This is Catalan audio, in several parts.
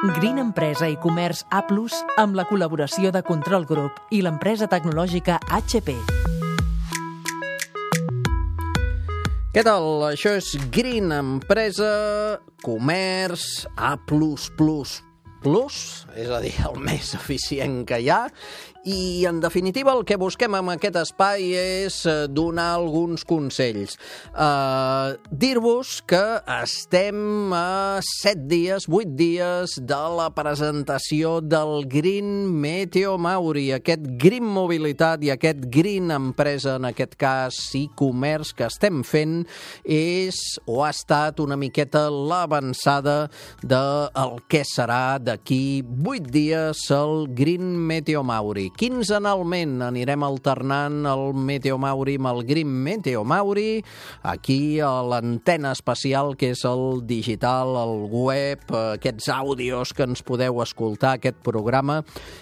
Green Empresa i Comerç A+, amb la col·laboració de Control Group i l'empresa tecnològica HP. Què tal? Això és Green Empresa, Comerç A+++, és a dir, el més eficient que hi ha. I, en definitiva, el que busquem amb aquest espai és donar alguns consells. Dir-vos que estem a 7 dies, 8 dies de la presentació del Green Meteo Mauri, aquest Green Mobilitat i aquest Green Empresa, en aquest cas, i comerç que estem fent, és o ha estat una miqueta l'avançada del que serà d'aquí 8 dies el Green Meteo Mauri. Quinzenalment anirem alternant el Meteo Mauri amb el Green Meteo Mauri, aquí a l'antena especial que és el digital, el web, aquests àudios que ens podeu escoltar, aquest programa,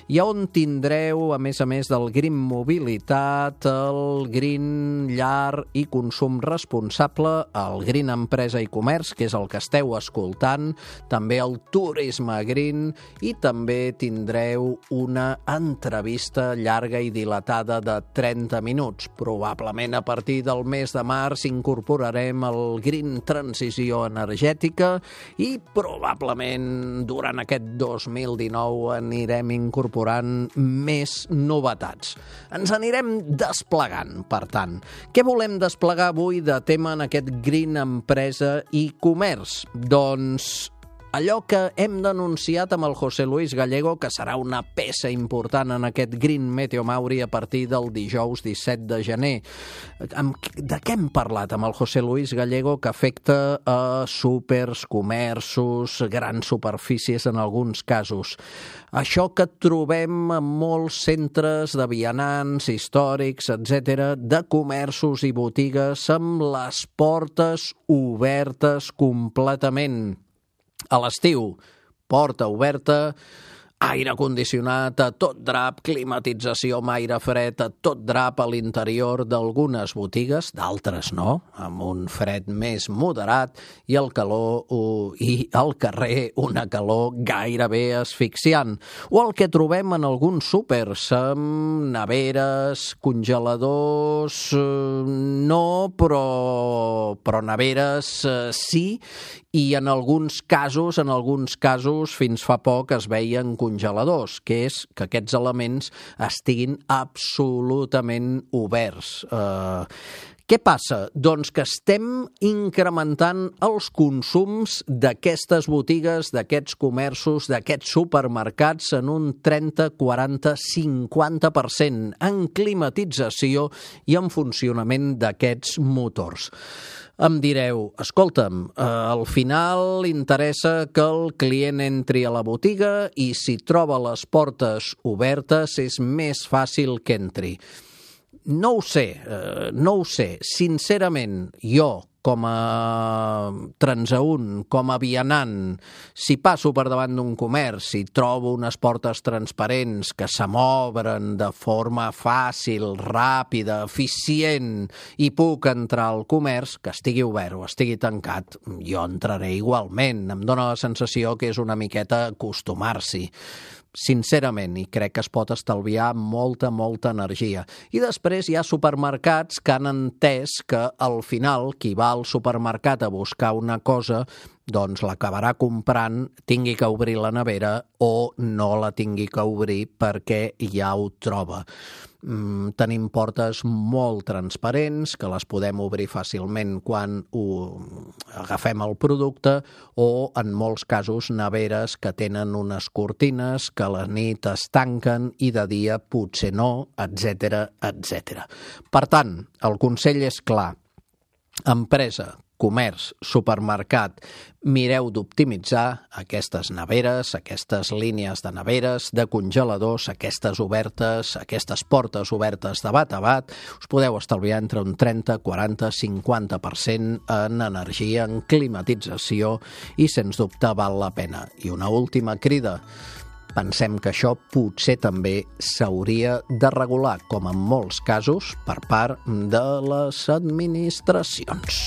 i on tindreu, a més del Green Mobilitat, el Green Llar i Consum Responsable, el Green Empresa i Comerç, que és el que esteu escoltant, també el Turisme Green, i també tindreu una entrevista llarga i dilatada de 30 minuts. Probablement a partir del mes de març incorporarem el Green Transició Energètica i probablement durant aquest 2019 anirem incorporant més novetats. Ens anirem desplegant, per tant. Què volem desplegar avui de tema en aquest Green Empresa i Comerç? Doncs allò que hem denunciat amb el José Luis Gallego, que serà una peça important en aquest Green Meteo Mauri a partir del dijous 17 de gener. De què hem parlat amb el José Luis Gallego que afecta a súpers, comerços, grans superfícies en alguns casos? Això que trobem en molts centres de vianants, històrics, etc., de comerços i botigues amb les portes obertes completament. A l'estiu, porta oberta, aire condicionat a tot drap, climatització amb aire fred a tot drap a l'interior d'algunes botigues, d'altres no, amb un fred més moderat i el calor i al carrer una calor gairebé asfixiant. O el que trobem en alguns súpers, amb neveres, congeladors, no, però neveres sí, i en alguns casos, fins fa poc es veien congeladors, que és que aquests elements estiguin absolutament oberts. Què passa? Doncs que estem incrementant els consums d'aquestes botigues, d'aquests comerços, d'aquests supermercats en un 30, 40, 50% en climatització i en funcionament d'aquests motors. Em direu, escolta'm, al final interessa que el client entri a la botiga i si troba les portes obertes és més fàcil que entri. No ho sé. Sincerament, jo, com a transeünt, com a vianant, si passo per davant d'un comerç i trobo unes portes transparents que se m'obren de forma fàcil, ràpida, eficient i puc entrar al comerç, que estigui obert o estigui tancat, jo entraré igualment. Em dóna la sensació que és una miqueta acostumar-s'hi. Sincerament, i crec que es pot estalviar molta energia. I després hi ha supermercats que han entès que al final qui va al supermercat a buscar una cosa doncs l'acabarà comprant, tingui que obrir la nevera o no la tingui que obrir perquè ja ho troba. Tenim portes molt transparents que les podem obrir fàcilment quan agafem el producte o, en molts casos, neveres que tenen unes cortines que a la nit es tanquen i de dia potser no, etc. Per tant, el consell és clar. Empresa, comerç, supermercat, mireu d'optimitzar aquestes neveres, aquestes línies de neveres, de congeladors, aquestes obertes, aquestes portes obertes de bat a bat, us podeu estalviar entre un 30, 40, 50% en energia, en climatització i, sens dubte, val la pena. I una última crida. Pensem que això potser també s'hauria de regular, com en molts casos, per part de les administracions.